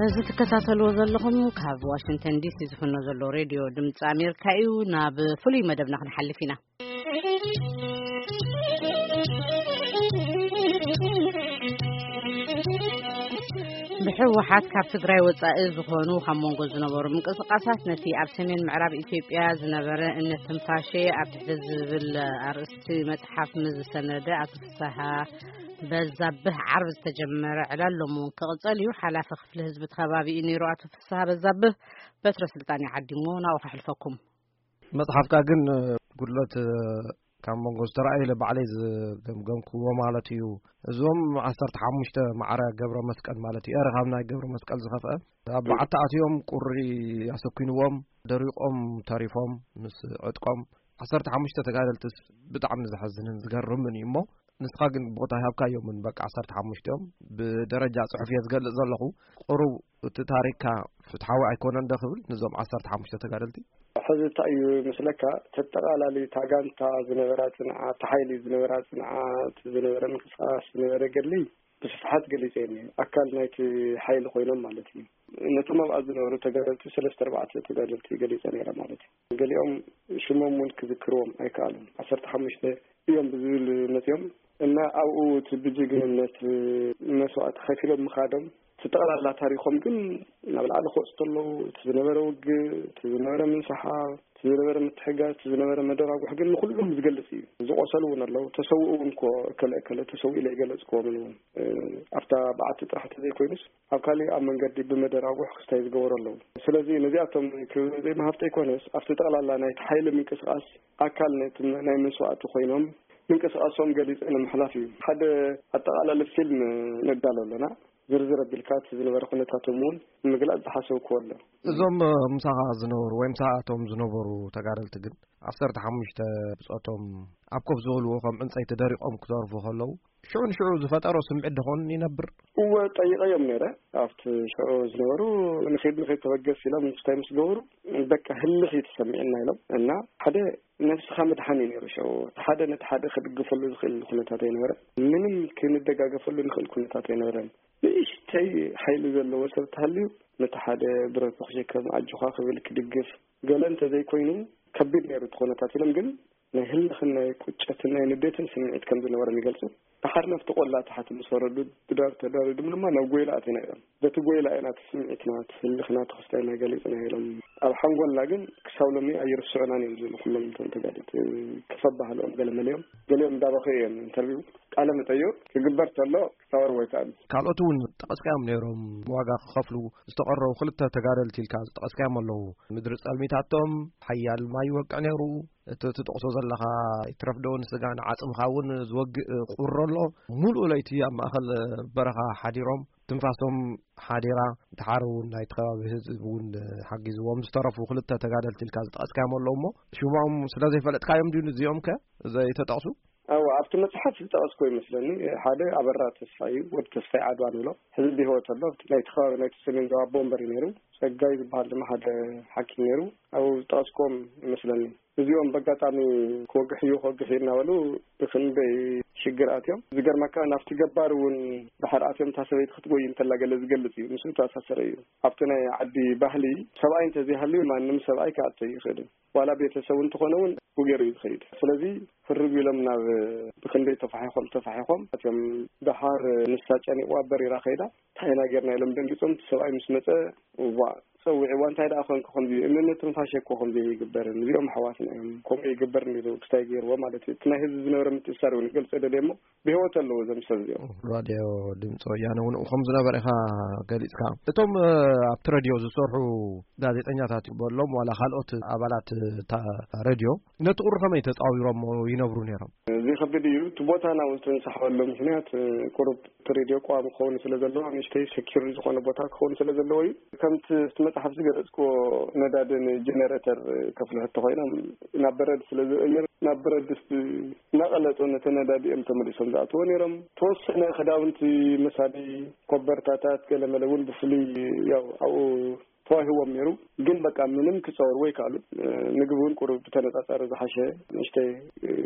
እዚ ትከታተልዎ ዘለኹም ካብ ዋሽንግተን ዲሲ ዝፍኖ ዘሎ ሬድዮ ድምፂ ኣሜሪካ እዩ። ናብ ፍሉይ መደብና ክንሓልፍ ኢና። ብህወሓት ካብ ትግራይ ወፃኢ ዝኾኑ ካብ መንጎ ዝነበሩ ምንቅስቃሳት ነቲ ኣብ ሰሜን ምዕራብ ኢትዮጵያ ዝነበረ እምነት ትንፋሸ ኣብ ትሕቲ ዝብል ኣርእስቲ መፅሓፍ ምስ ዝሰነደ ኣቶ ፍስሃ በዛብህ ዓርቢ ዝተጀመረ ዕላል ሎም እውን ክቕፀል እዩ። ሓላፊ ክፍሊ ህዝቢ እቲ ከባቢ እዩ ነይሩ ኣቶ ፍስሃ በዛብህ። በትረ ስልጣን ይዓዲሞ ናብኡ ከሕልፈኩም። መጽሓፍካ ግን ጉድለት ካብ መንጎ ዝተረኣዩ ኢለ ባዕለይ ዝገምገምክዎ ማለት እዩ። እዞም ዓሰርተ ሓሙሽተ ማዕረ ገብረ መስቀል ማለት እዩ። ኤረ ካብ ናይ ገብረ መስቀል ዝኸፍአ ኣብ በዓቲ ኣትዮም ቁሪ ኣሰኪንዎም ደሪቖም ተሪፎም ምስ ዕጥቆም ዓሰርተ ሓሙሽተ ተጋደልትስ ብጣዕሚ ዘሐዝንን ዝገርምን እዩ እሞ ንስኻ ግን ቦታ ሃብካዮምን በቃ ዓሰርተ ሓሙሽተ እዮም። ብደረጃ ጽሑፍ እየ ዝገልጽ ዘለኹ። ቁሩብ እቲ ታሪክካ ፍትሓዊ ኣይኮነን ዶ ክብል ንዞም ዓሰርተ ሓሙሽተ ተጋደልቲ? ሕዚ እንታይ እዩ መስለካ፣ ተጠቓላሊ እታ ጋንታ ዝነበራ ጽንዓት፣ እታ ሓይሊ ዝነበራ ጽንዓት፣ ዝነበረ ምንቅስቓስ፣ ዝነበረ ገድሊ ብስፍሓት ገሊጸ እየ። ኣካል ናይቲ ሓይሊ ኮይኖም ማለት እዩ። ነቶም ኣብኣ ዝነበሩ ተጋደልቲ ሰለስተ ኣርባዕተ ተጋደልቲ ገሊጸ ነይረ ማለት እዩ። ገሊኦም ሽሞም እውን ክዝክርዎም ኣይከኣሉን። ዓሰርተ ሓሙሽተ እዮም ብዝብል መጺኦም እና ኣብኡ እቲ ብጅግንነት መስዋእቲ ከፊሎም ምኻዶም እቲ ጠቕላላ ታሪኾም ግን ናብ ላዕሊ ክወፁ ከለዉ እቲ ዝነበረ ውግእ፣ እቲ ዝነበረ ምንስሓብ፣ እቲ ዝነበረ ምትሕጋዝ፣ እቲ ዝነበረ መደራጉሕ ግን ንኹሎም ዝገልፅ እዩ። ዝቆሰሉ እውን ኣለዉ፣ ተሰውኡ እውን እኮ እከለ እከለ ተሰውኡ ኢለ ይገለፅክዎምን እውን። እ፣ ኣብታ በዓቲ ጥራሕ እንተዘይኮይኑስ ኣብ ካሊእ ኣብ መንገዲ ብመደራጉሕ ክስታይ ዝገበሩ ኣለዉ። ስለዚ ነዚኣቶም ክብሪ ዘይምሃብቲ ኣይኮነስ ኣብቲ ጠቕላላ ናይቲ ሓይሊ ምንቅስቓስ ኣካል ናይቲ ናይ መስዋእቲ ኮይኖም ምንቅስቓሶም ገሊፀ ንምሕላፍ እዩ። ሓደ ኣጠቓላሊ ፊልም ነዳሎ ኣለና። ዝርዝር ኣቢልካ እቲ ዝነበረ ኩነታቶም እውን ንምግላፅ ዝሓሰብክዎ ኣሎ። እዞም፣ እ፣ ምሳኻ ዝነበሩ ወይ ምሳቶም ዝነበሩ ተጋደልቲ ግን ዓሰርተ ሓሙሽተ ብጾቶም ኣብ ኮፍ ዝበልዎ ከም ዕንጸይቲ ደሪቖም ክተርፉ ከለዉ ሽዑ ንሽዑ ዝፈጠሮ ስምዒት ደኾን ይነብር? እወ፣ ጠይቐዮም ነይረ። ኣብቲ ሽዑ ዝነበሩ ንኺድ ንኺድ ተበገስ ኢሎም ምስታይ ምስ ገበሩ በቃ ህልኽ እዩ ተሰሚዕና ኢሎም እና ሓደ ነብስኻ ምድሓን እዩ ነይሩ። ሽዑ እቲ ሓደ ነቲ ሓደ ክድግፈሉ ዝኽእል ኩነታት ኣይነበረን። ምንም ክንደጋገፈሉ ንኽእል ኩነታት ኣይነበረን። ንእሽተይ ሓይሊ ዘለዎ ሰብ ተሃልዩ ነቲ ሓደ ብረቱ ክሸከም ኣጆኻ ክብል ክድግፍ ገለ እንተዘይኮይኑ ከቢድ ነይሩ እቲ ኩነታት ኢሎም ግን ናይ ህልኽን ናይ ቁጨትን ናይ ንዴትን ስምዒት ከም ዝነበሮም ይገልጹ። ደሓር ናብቲ ቆላ ታሕቲ ምስ ወረዱ ብዳር ተዳሪዶም ድማ ናብ ጎይላ ኣቲና ኢሎም። በቲ ጎይላ ኢና እቲ ስምዒትና፣ እቲ ህልኽና፣ እቲ ክስታይና ገሊጽና ኢሎም። ኣብ ሓንጎልና ግን ክሳብ ሎሚ ኣይርስዑናን እዮም ዝብሉ ኩሎም እቶም ተጋደልቲ። ከፍ ኣባህልኦም ገለ መሊኦም፣ ገሊኦም እንዳበኸዩ እዮም ኢንተርቪው ቃለ መጠይቕ ክግበር ተሎ ክሳወር ወይ ከኣ ካልኦት እውን ጠቐስካዮም ነይሮም ዋጋ ክኸፍሉ ዝተቐረቡ ክልተ ተጋደልቲ ኢልካ ዝጠቐስካዮም ኣለዉ። ምድሪ ጸልሚታቶም ሓያል ማይ ይወቅዕ ነይሩ። እቲ ትጠቕሶ ዘለኻ ይትረፍ ዶ ንስጋ ንዓጽምኻ እውን ዝወግእ ቁሪ ኣሎ። ሙሉእ ለይቲ ኣብ ማእከል በረኻ ሓዲሮም ትንፋሶም ሓዲራ። ድሓር እውን ናይቲ ከባቢ ህዝቢ እውን ሓጊዝዎም ዝተረፉ ክልተ ተጋደልቲ ኢልካ ዝጠቐስካዮም ኣለዉ እሞ ሽሞም ስለ ዘይፈለጥካዮም ድዩ እዚኦም ከ ዘይተጠቕሱ? ኣዎ፣ ኣብቲ መጽሓፍ ዝጠቐስኮ ይመስለኒ። ሓደ ኣበራ ተስፋ እዩ፣ ወዲ ተስፋይ ዓድዋ ንብሎ። ሕዚ ብህይወት ኣሎ። ኣብቲ ናይቲ ከባቢ ናይቲ ሰሜን ዞባ ኣቦ ወንበር እዩ ነይሩ። ጸጋይ ዝበሃል ድማ ሓደ ሓኪም ነይሩ። ኣብኡ ዝጠቐስኮም ይመስለኒ። እዚኦም በጋጣሚ ክወግሕ እዩ፣ ክወግሕ እዩ እናበሉ ብኽንደይ ሽግር ኣትዮም። ዝገርመካ ናብቲ ገባር እውን ድሓር ኣትዮም እታ ሰበይቲ ክትጎይ እንተላ ገለ ዝገልጽ እዩ። ምስኡ ዝተኣሳሰረ እዩ። ኣብቲ ናይ ዓዲ ባህሊ ሰብኣይ እንተዘይሃልዩ ማንም ሰብኣይ ክኣቱ ኣይኽእልን። ዋላ ቤተሰቡ እንተኾነ እውን ውጌሩ እዩ ዝኸይድ። ስለዚ ህርግ ኢሎም ናብ ብኽንደይ ተፋሒኾም ተፋሒኾም ኣትዮም። ደሓር ንሳ ጨኒቕዋ በሪራ ከይዳ። እንታይ ኢና ጌርና ኢሎም ደንጊጾም። እቲ ሰብኣይ ምስ መጸ፣ እዋ፣ ጸዊዕዋ፣ እንታይ ደኣ ኮንኩ ከምዚ? እምነት ትንፋሸ እኮ ከምዚ ኣይግበርን። እዚኦም ኣሕዋትና እዮም። ከምኡ ኣይግበርን ኢሉ ክስታይ ገይርዎ ማለት እዩ። እቲ ናይ ህዝቢ ዝነበረ ምትእስሳር እውን ክገልጾ ደልየ እሞ ብህይወት ኣለዉ እዞም ሰብ እዚኦም። ራድዮ ድምፂ ወያነ እውን ከም ዝነበረ ኢኻ ገሊፅካ። እቶም፣ እ፣ ኣብቲ ረድዮ ዝሰርሑ ጋዜጠኛታት በሎም ዋላ ካልኦት ኣባላት እታ ረድዮ ነቲ ቁሪ ከመይ ተፃዊሮሞ ይነብሩ ነይሮም? እዚ ከቢድ እዩ። እቲ ቦታ ናብኡ ዝተንሳሕበሉ ምኽንያት፣ እ፣ ቁሩብ እቲ ሬድዮ ቀዋሚ ክኸውን ስለ ዘለዎ፣ ንእሽተይ ሴኪር ዝኾነ ቦታ ክኸውን ስለ ዘለዎ እዩ። ከምቲ እቲ መጽሓፍ ዝገለጽክዎ ነዳድን ጀነሬተር ከፍልሑ እንተኾይኖም ናብ በረድ ስለ ዝቕይር፣ ናብ በረድ ድስቲ እናቐለጡ ነቲ ነዳዲ እዮም ተመሊሶም ዝኣትዎ ነይሮም። ተወሰነ ክዳውንቲ መሳሊ ኮበርታታት ገለመለ እውን ብፍሉይ ያው ኣብኡ ተዋሂዎም ነይሩ። ግን በቃ ምንም ክፀወሩ ወይ ከኣሉ ምግቢ እውን ቁሩብ ብተነፃፃሪ ዝሓሸ ንእሽተይ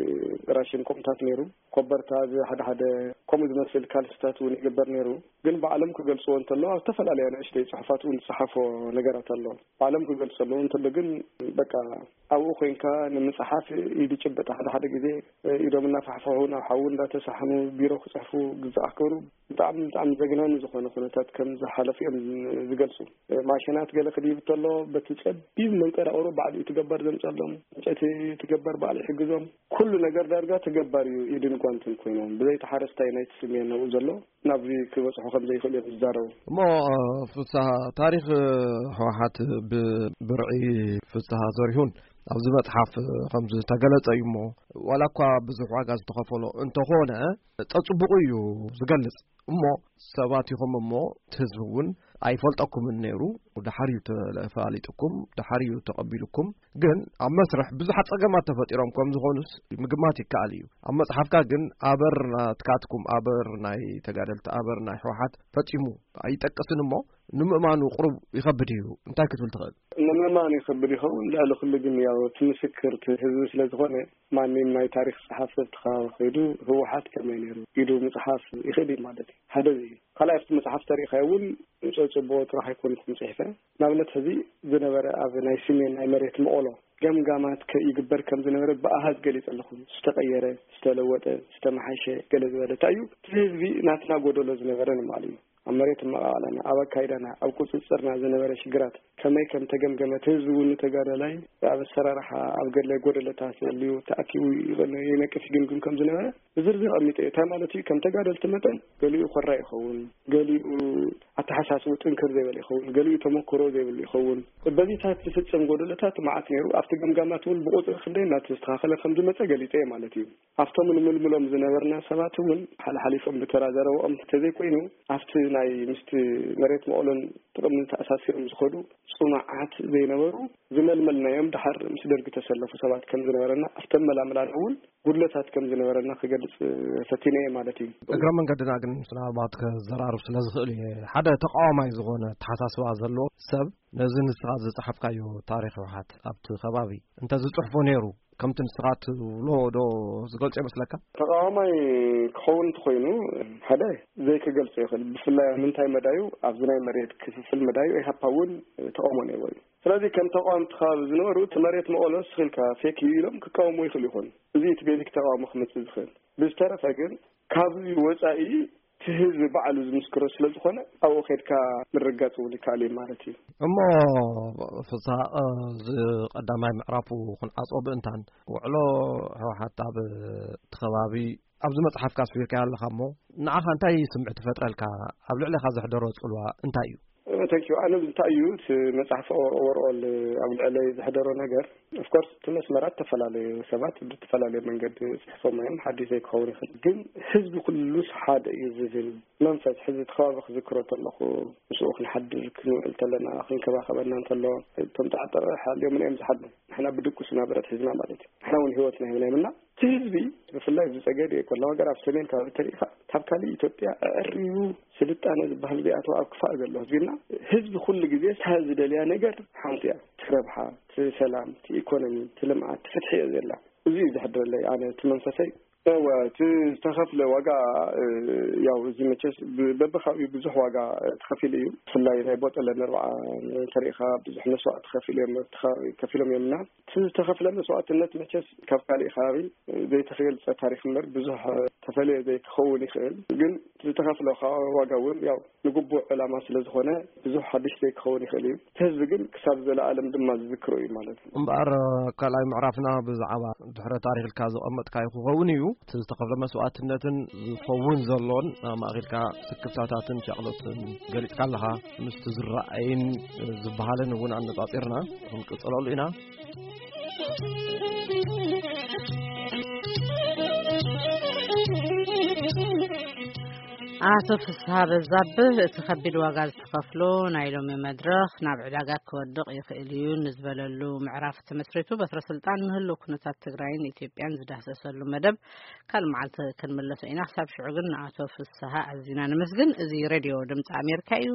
ራሽን ከምኡታት ነይሩ። ኮበርታ፣ እዚ ሓደ ሓደ ከምኡ ዝመስል ካልስታት እውን ይግበር ነይሩ። ግን ባዕሎም ክገልፅዎ እንተሎ ኣብ ዝተፈላለያ ንእሽተይ ፅሑፋት እውን ዝፀሓፎ ነገራት ኣሎ። ባዕሎም ክገልፁ ኣለዉ እንተሎ ግን በቃ ኣብኡ ኮይንካ ንምፅሓፍ ኢድ ጭበጥ ሓደ ሓደ ግዜ ኢዶም እናፋሕፈሑ ናብ ሓዊ እንዳተሳሕኑ ቢሮ ክፅሕፉ ግዛዕ ክብሩ ብጣዕሚ ብጣዕሚ ዘግናኒ ዝኾነ ኩነታት ከም ዝሓለፉ እዮም ዝገልፁ። ማሽናት ገለ ክድይብ እንተሎ በቲ ጸቢብ መንቀራቕሮ ባዕሉ እዩ ትገበር ዘምጸሎም፣ ዕንጨይቲ ትገበር ባዕሉ ይሕግዞም። ኩሉ ነገር ዳርጋ ተገባር እዩ ኢድን ጓንትን ኮይኖም ብዘይቲ ሓረስታይ ናይቲ ስሜን ነብኡ ዘሎ ናብዚ ክበጽሑ ከም ዘይኽእሉ እዮም ዝዛረቡ። እሞ ፍስሃ፣ ታሪኽ ህወሓት ብብርዒ ፍስሃ ዘሪሁን ኣብዚ መጽሓፍ ከም ዝተገለጸ እዩ። እሞ ዋላ እኳ ብዙሕ ዋጋ ዝተኸፈሎ እንተኾነ ጸጽቡቑ እዩ ዝገልጽ። እሞ ሰባት ኢኹም እሞ እቲ ህዝቢ እውን ኣይፈልጠኩምን ነይሩ። ድሓር እዩ ተፋሊጥኩም፣ ድሓር እዩ ተቐቢልኩም። ግን ኣብ መስርሕ ብዙሓት ጸገማት ተፈጢሮም ከም ዝኾኑስ ምግማት ይከኣል እዩ። ኣብ መጽሓፍካ ግን ኣበር ናትካትኩም፣ ኣበር ናይ ተጋደልቲ፣ ኣበር ናይ ህወሓት ፈጺሙ ኣይጠቅስን። እሞ ንምእማኑ ቁሩብ ይኸብድ እዩ። እንታይ ክትብል ትኽእል? ንምእማኑ ይኸብድ ይኸውን። ልዕሊ ኩሉ ግን ያው እቲ ምስክር እቲ ህዝቢ ስለ ዝኾነ ማንም ናይ ታሪኽ ጸሓፊ ኣብቲ ከባቢ ከይዱ ህወሓት ከመይ ነይሩ ኢሉ ምጽሓፍ ይኽእል እዩ ማለት እዩ። ሓደ እዚ እዩ። ካልኣይ ኣብቲ መጽሓፍ ተሪእኻዮ እውን ጸጽቦ ጥራሕ ኣይኮንኩን ጽሒፈ። ንኣብነት ሕዚ ዝነበረ ኣብ ናይ ስሜን ናይ መሬት መቐሎ ገምጋማት ከይግበር ከም ዝነበረ ብኣሃዝ ገሊጸ ኣለኹ። ዝተቐየረ፣ ዝተለወጠ፣ ዝተመሓሸ ገለ ዝበለ እንታይ እዩ? እቲ ህዝቢ ናትና ጎደሎ ዝነበረ ንምባል እዩ። ኣብ መሬት ኣመቓቕላና፣ ኣብ ኣካይዳና፣ ኣብ ቁጽጽርና ዝነበረ ሽግራት ከመይ ከም ተገምገመ፣ እቲ ህዝቢ እውን ንተጋዳላይ ኣብ ኣሰራርሓ፣ ኣብ ገለ ጎደለታት ዘልዩ ተኣኪቡ ይቐን-፣ ይነቅፍ ይግምግም ከም ዝነበረ ብዝርዝር ኣቐሚጠ እየ። እንታይ ማለት እዩ? ከም ተጋደልቲ መጠን ገሊኡ ኮራ ይኸውን፣ ገሊኡ ኣተሓሳስቡ ጥንክር ዘይበለ ይኸውን፣ ገሊኡ ተመክሮ ዘይብሉ ይኸውን። በዚታት ዝፍጸም ጎደለታት መዓት ነይሩ። ኣብቲ ገምጋማት እውን ብቁጽሪ ክንደይ እናተስተኻኸለ ከም ዝመጸ ገሊጸ እየ ማለት እዩ። ኣብቶም ንምልምሎም ዝነበርና ሰባት እውን ሓልሓሊፎም ብተራ ዘረባኦም እንተዘይኮይኑ፣ ኣብቲ ናይ ምስቲ መሬት መቐሎን ጥቕምን ተኣሳሲሮም ዝኸዱ ጽኑዓት ዘይነበሩ ዝመልመልናዮም ደሓር ምስ ደርጊ ተሰለፉ ሰባት ከም ዝነበረና ኣብተን መላምላና እውን ጉድለታት ከም ዝነበረና ክገልጽ ፈቲነ እየ ማለት እዩ። እግረ መንገድና ግን ምናልባት ከዘራርብ ስለ ዝኽእል እየ። ሓደ ተቃዋማይ ዝኾነ ኣተሓሳስባ ዘለዎ ሰብ ነዚ ንስኻ ዝጸሓፍካዮ ታሪኽ ህወሓት ኣብቲ ከባቢ እንተ ዝጽሕፎ ነይሩ፣ ከምቲ ንስኻ ትብሎ ዶ ዝገልጾ ይመስለካ? ተቃዋማይ ክኸውን እንተኾይኑ፣ ሓደ ዘይክገልጾ ይኽእል። ብፍላይ ኣብ ምንታይ መዳዩ፣ ኣብዚ ናይ መሬት ክፍፍል መዳዩ ኢህኣፓ እውን ተቃውሞ ነይርዎ እዩ። ስለዚ ከም ተቃወምቲ ከባቢ ዝነበሩ እቲ መሬት መቐሎ ስኺልካ ፌክ እዩ ኢሎም ክቃወሙ ይኽእሉ ይኾኑ። እዚ እቲ ቤዚክ ተቃውሞ ክመጽእ ዝኽእል። ብዝተረፈ ግን ካብዚ ወጻኢ እቲ ህዝቢ ባዕሉ ዝምስክሮ ስለ ዝኾነ ኣብኡ ከድካ ምርጋጽ እውን ይከኣል እዩ ማለት እዩ። እሞ ፍስሃ፣ እዚ ቀዳማይ ምዕራፉ ክንዓጾ ብእንታን ውዕሎ ህወሓት ኣብ እቲ ከባቢ ኣብዚ መጽሓፍካ ኣስፊርካዮ ኣለኻ እሞ ንዓኻ እንታይ ስምዒት ይፈጥረልካ? ኣብ ልዕሌኻ ዘሕደሮ ጽልዋ እንታይ እዩ? ተንኪዩ። ኣነ እንታይ እዩ እቲ መጽሓፍ ኦቨርኦል ኣብ ልዕለይ ዘሕደሮ ነገር? ኦፍኮርስ እቲ መስመራት ተፈላለዩ፣ ሰባት ብዝተፈላለየ መንገዲ ጽሕፎም እዮም፣ ሓድሽ ዘይክኸውን ይኽእል። ግን ህዝቢ ኩሉስ ሓደ እዩ ዝብል መንፈስ ሕዚ እቲ ከባቢ ክዝክሮ ተለኹ፣ ምስኡ ክንሓድር ክንውዕል ተለና፣ ክንከባኸበና እንተሎ፣ እቶም ጣዕጠር ሓልዮምን እዮም ዝሓድሩ። ንሕና ብድቁስ ናብረት ሒዝና ማለት እዩ። ንሕና እውን ህይወትና ሂብና የምና። እቲ ህዝቢ ብፍላይ ኣብዚ ጸገዴ ቆላ ወገር ኣብ ሰሜን ከባቢ ተሪኢኻ፣ ካብ ካልእ ኢትዮጵያ ኣዕሪቡ ስልጣነ ዝበሃል ዘይኣተወ ኣብ ክፋእ ዘሎ ህዝቢና፣ ህዝቢ ኩሉ ግዜ እታ ዝደልያ ነገር ሓንቲ እያ። እቲ ረብሓ፣ እቲ ሰላም፣ እቲ ኢኮኖሚ፣ እቲ ልምዓት፣ እቲ ፍትሒ እየ ዘላ። እዚ እዩ ዘሕድረለይ ኣነ እቲ መንፈሰይ። እወ፣ እቲ ዝተኸፍለ ዋጋ፣ እ፣ ያው እዚ መቸስ ብ-፣ በብኻብኡ ብዙሕ ዋጋ፣ እ፣ ተኸፊሉ እዩ። ብፍላይ ናይ ቦጠለ ነርባዓ እንተሪኢኻ ብዙሕ መስዋእቲ ከፊሉ እዮም፣ ተኸ-፣ ከፊሎም እዮም እና እቲ ዝተኸፍለ መስዋእትነት መቸስ ካብ ካሊእ ከባቢ፣ እ፣ ዘይተገልጸ ታሪኽ እምበር ብዙሕ፣ እ፣ ተፈልየ ዘይክኸውን ይኽእል። ግን እቲ ዝተኸፍለ ካ-፣ ዋጋ እውን ያው ንግቡእ ዕላማ ስለ ዝኾነ ብዙሕ ሓድሽ ዘይክኸውን ይኽእል እዩ። እቲ ህዝቢ ግን ክሳብ ዘለኣለም ድማ ዝዝክሮ እዩ ማለት እዩ። እምበኣር ካልኣይ ምዕራፍና ብዛዕባ ድሕረ ታሪኽ ኢልካ ዘቐመጥካዮ ክኸውን እዩ። እቲ ዝተኸፍለ መስዋእትነትን ዝኸውን ዘሎን ኣማእኺልካ ስክፍታታትን ሻቕሎትን ገሊጽካ ኣለኻ። ምስቲ ዝረኣይን ዝበሃልን እውን ኣነጻጺርና ክንቅጽለሉ ኢና። ኣቶ ፍስሃ በዛብህ፣ እቲ ከቢድ ዋጋ ዝተኸፍሎ ናይ ሎሚ መድረኽ ናብ ዕዳጋ ክወድቕ ይኽእል እዩ ንዝበለሉ ምዕራፍ ተመስሪቱ በትረ ስልጣን ንህልው ኩነታት ትግራይን ኢትዮጵያን ዝዳህሰሰሉ መደብ ካልእ መዓልቲ ክንምለሶ ኢና። ክሳብ ሽዑ ግን ንኣቶ ፍስሃ ኣዚና ነመስግን። እዚ ሬድዮ ድምፂ ኣሜሪካ እዩ።